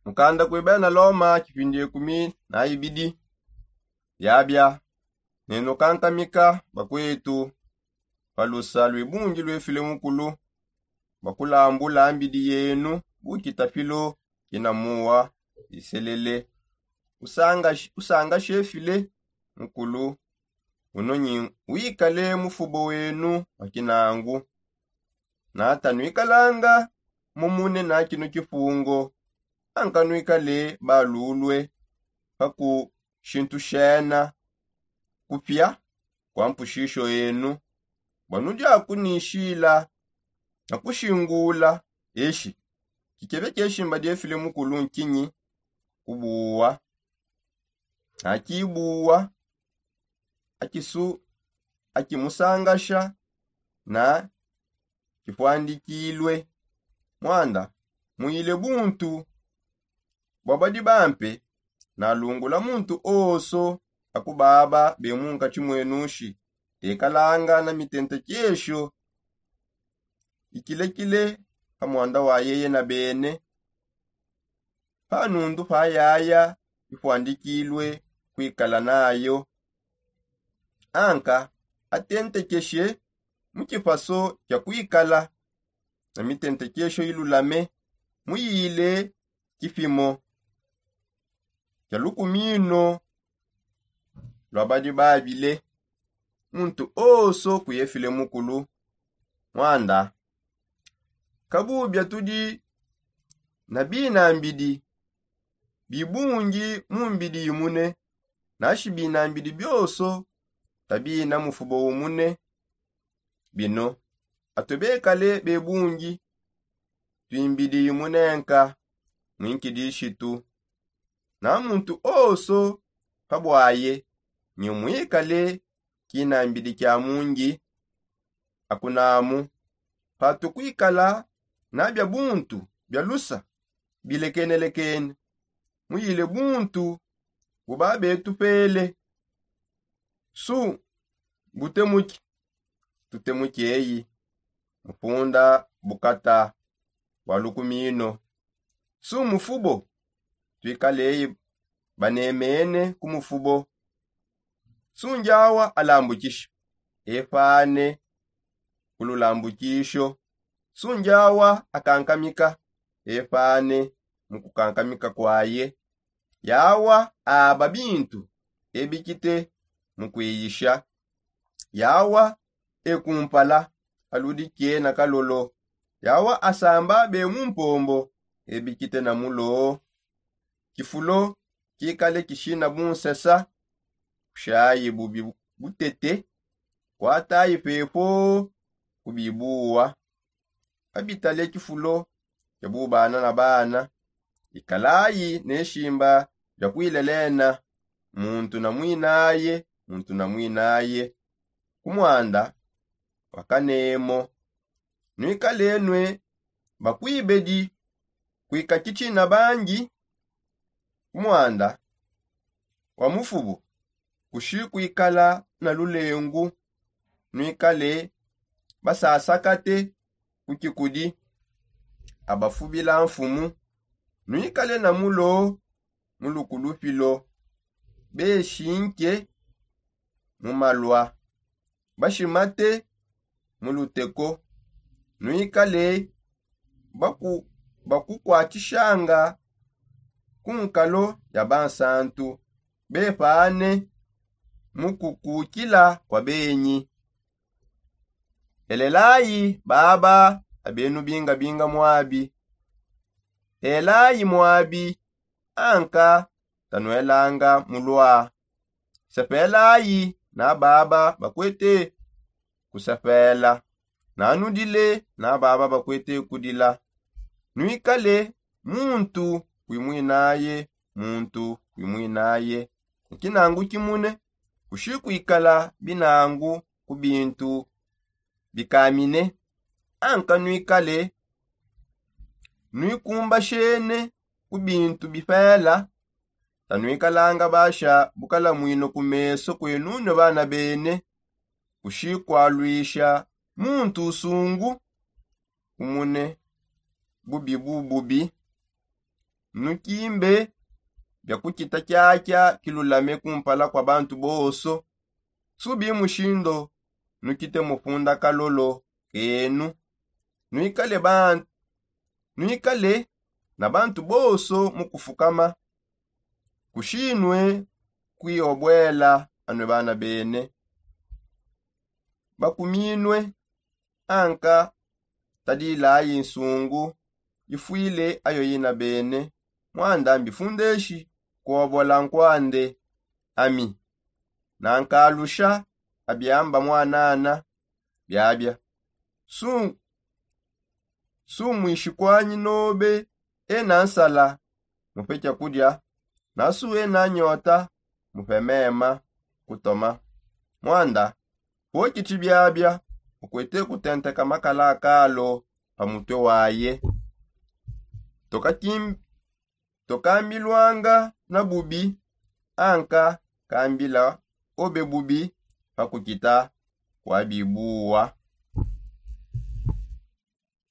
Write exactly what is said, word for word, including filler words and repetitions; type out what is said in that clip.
Mukanda kue bena loma kipindi ekumi na ibidi. Biabia, nenu kankamika bakwetu pa lusa lue bungi luefile mukulu bakulambula mbidi yenu bukita pilo kina muwa iselele. Usanga shefile mukulu, unonyi wikale mufubo wenu wa kinangu. Nata nuikalanga mumune na kinu kifungo, anka nuikale balulue pa kushintushena kupia kwa mpushisho enu. Bua nudi akunishila na kushingula eshi kikebe kieshimba diefile mukulu nkinyi? Kubuwa na kibuwa akisu akimusangasha na kifuandikilue. Mwanda muyile buntu bua badi bampe nalungula muntu onso akubaba bemunkatshi muenushi tekalanga na mitentekesho ikilekile pa mwanda wa yeye na bene. Panundu pa yaya ifuandikilue kuikala nayo anka atentekeshe mu kipaso kia kuikala na mitentekesho ilulame muyile kipimo kia lukumino lua badi babile. Muntu onso kuyefile mukulu mwanda kabubia tudi na binambidi bibungi mu mbidi imune. Nashi binambidi bionso tabina mufubo umune. Bino atue bekale bebungi tuimbidi imunenka muinkidishitu na muntu onso pa buaye nyi muikale kinambidi kia mungi. Akunamu patukuikala na bia buntu bia lusa bilekenelekene muyile buntu buba betupele. Su butemuki tutemuki eyi mupunda bukata bua lukumino. Su mufubo tuikaleyi banemene ku mufubo. Su ndiawa alambukisha epane ku lulambukisho. Su ndiawa akankamika epane mu kukankamika kuaye. Yawa aba bintu ebikite mu kuiyisha. Yawa ekumpala aludi kiena kalolo. Yawa asamba be mu mpombo ebikite na mulo. Kifulo kikale kishina bunsesa kushayi bubi butete. Kuatayi pepo kubibuwa. Abitale kifulo kia bubana na bana. Ikalayi ne shimba dia kuilelena muntu na mwinaye muntu na mwinaye. Ku mwanda wa kanemo nuikalenue bakuibedi kuika kitshina bangi. Ku mwanda wa mufubu kushi kuikala na lulengu. Nuikale basasakate ku kikudi abafubila mfumu. Nuikale na mulo mu lukulupilo beshinke mu malua bashimate mu luteko. Nuikale bakukuatshishanga ku nkalo ya bansantu bepane mu kukukila kua benyi. Elelayi baba abenu bingabinga muabi. Elayi muabi anka tanuelanga mulua. Sepelayi na baba bakuete kusepela. Nanudile na baba bakuete kudila. Nuikale muntu kuimwinaye muntu kuimwinaye. Kinangu kimune kushi kuikala binangu ku bintu bikamine. Anka nuikale nuikumbashene ku bintu bipela. Tanuikalanga basha bukalamwino ku meso kuenunue bana bene. Kushi kualuisha muntu usungu umune bubi bububi. nukimbe bia kukita kiakia kilulame kumpala kua bantu bonso. Subi mushindo nukite mufunda kalolo kenu. Nuikale bantu nuikale na bantu bonso mu kufukama. Kushinue kuiobwela anue bana bene. Bakuminue anka tadilayi nsungu ifuile ayo ina bene. Muanda mbifundeshi kuobola nkuande ami nankalusha abiamba muanana biabia. Su sumwishikwanyi nobe ena nsala mupe kiakudia. Nasu ena nyota mupe mema kutoma. Muanda pokitshi biabia ukwete kutenteka makala akalo pa mutue waye. Tokambilwanga na bubi anka kambila obe bubi pa kukita kwa bibuwa.